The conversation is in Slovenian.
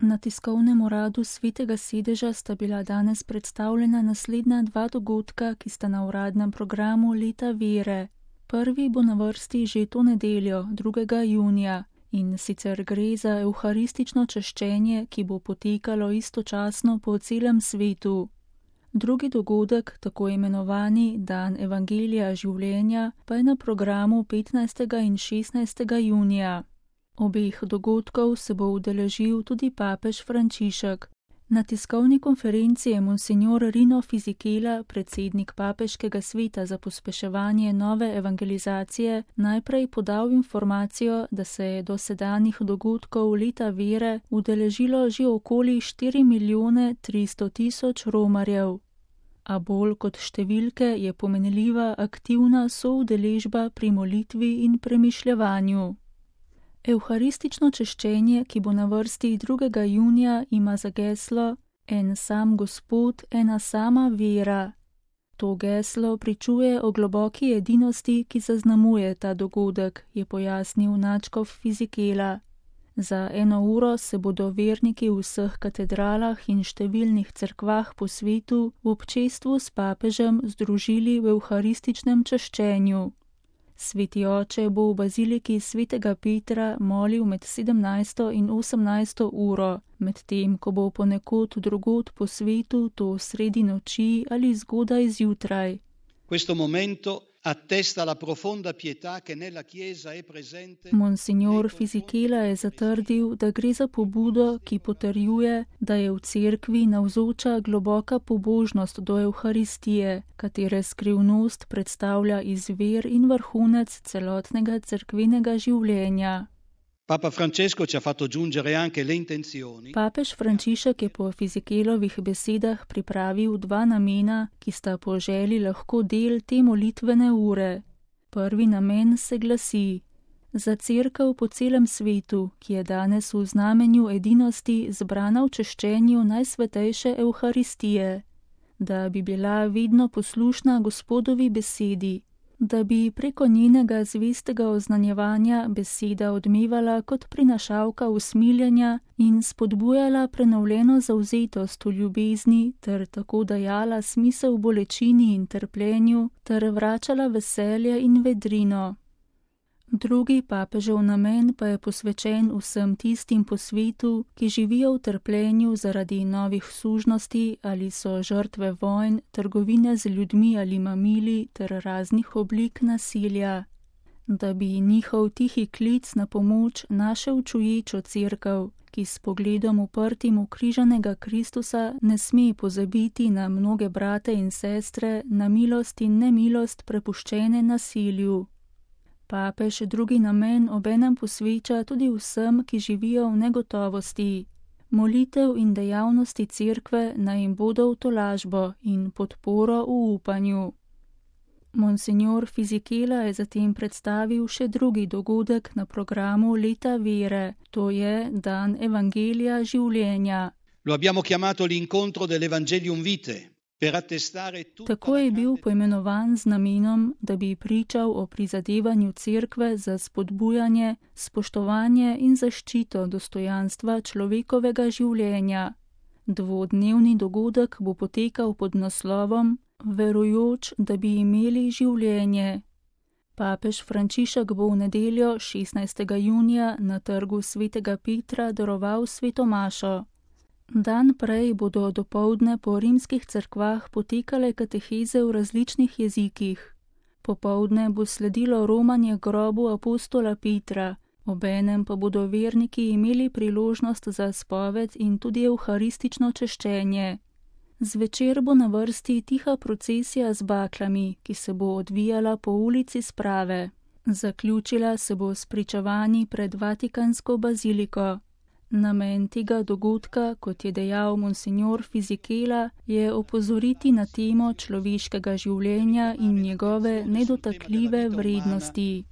Na tiskovnem uradu Svetega sedeža sta bila danes predstavljena naslednja dva dogodka, ki sta na uradnem programu Leta vere. Prvi bo na vrsti že to nedeljo, 2. junija, in sicer gre za evharistično čaščenje, ki bo potekalo istočasno po celem svetu. Drugi dogodek, tako imenovani Dan Evangelija življenja, pa je na programu 15. in 16. junija. Obeh dogodkov se bo udeležil tudi papež Frančišek. Na tiskovni konferenci je monsignor Rino Fisichella, predsednik papeškega sveta za pospeševanje nove evangelizacije, najprej podal informacijo, da se je do sedanjih dogodkov Leta vere udeležilo že okoli 4.300.000 romarjev. A bolj kot številke je pomenljiva aktivna soudeležba pri molitvi in premišljevanju. Evharistično čaščenje, ki bo na vrsti 2. junija, ima za geslo En sam Gospod, ena sama vera. To geslo pričuje o globoki edinosti, ki zaznamuje ta dogodek, je pojasnil nadškof Fisichella. Za 1 uro se bodo verniki v vseh katedralah in številnih cerkvah po svetu v občestvu s papežem združili v evharističnem čaščenju. Sveti oče bo v baziliki Svetega Petra molil med 17. in 18. uro, medtem ko bo ponekod drugod po svetu to sredi noči ali zgodaj zjutraj. Questo momento attesta la profonda pietà che nella Chiesa è presente. Monsignor Fisichella je zatrdil, da gre za pobudo, ki potrjuje, da je v cerkvi navzoča globoka pobožnost do Evharistije, katere skrivnost predstavlja izvir in vrhunec celotnega cerkvenega življenja. Papa Francesco ci ha fatto giungere anche le intenzioni. Papež Frančišek je po Fisichellovih besedah pripravil 2 namena, ki sta po želji lahko del te molitvene ure. Prvi namen se glasi: za cerkev po celem svetu, ki je danes v znamenju edinosti zbrana v čaščenju najsvetejše Evharistije, da bi bila vedno poslušna Gospodovi besedi, da bi preko njenega zvestega oznanjevanja beseda odmevala kot prinašalka usmiljenja in spodbujala prenovljeno zavzetost v ljubezni ter tako dajala smisel bolečini in trpljenju ter vračala veselje in vedrino. Drugi papežev namen pa je posvečen vsem tistim po svetu, ki živijo v trpljenju zaradi novih sužnosti ali so žrtve vojn, trgovine z ljudmi ali mamili ter raznih oblik nasilja. Da bi njihov tihi klic na pomoč našel čuječo cerkev, ki s pogledom uprtim v križanega Kristusa ne sme pozabiti na mnoge brate in sestre, na milost in nemilost prepuščene nasilju. Papež drugi namen obenem posveča tudi vsem, ki živijo v negotovosti. Molitev in dejavnosti cerkve naj jim bodo v tolažbo in podporo v upanju. Monsignor Fisichella je zatem predstavil še drugi dogodek na programu Leta vere, to je Dan Evangelija življenja. Lo abbiamo chiamato l'incontro dell'Evangelium Vitae. Tako je bil poimenovan z namenom, da bi pričal o prizadevanju cerkve za spodbujanje, spoštovanje in zaščito dostojanstva človekovega življenja. 2-dnevni dogodek bo potekal pod naslovom Verujoč, da bi imeli življenje. Papež Frančišek bo v nedeljo 16. junija na trgu Svetega Petra daroval svetomašo. Dan prej bodo dopoldne po rimskih cerkvah potekale kateheze v različnih jezikih. Popoldne bo sledilo romanje grobu apostola Petra, obenem pa bodo verniki imeli priložnost za spoved in tudi evharistično čaščenje. Zvečer bo na vrsti tiha procesija z baklami, ki se bo odvijala po ulici Sprave. Zaključila se bo s pričevanji pred Vatikansko baziliko. Namen tega dogodka, kot je dejal monsignor Fisichella, je opozoriti na temo človeškega življenja in njegove nedotakljive vrednosti.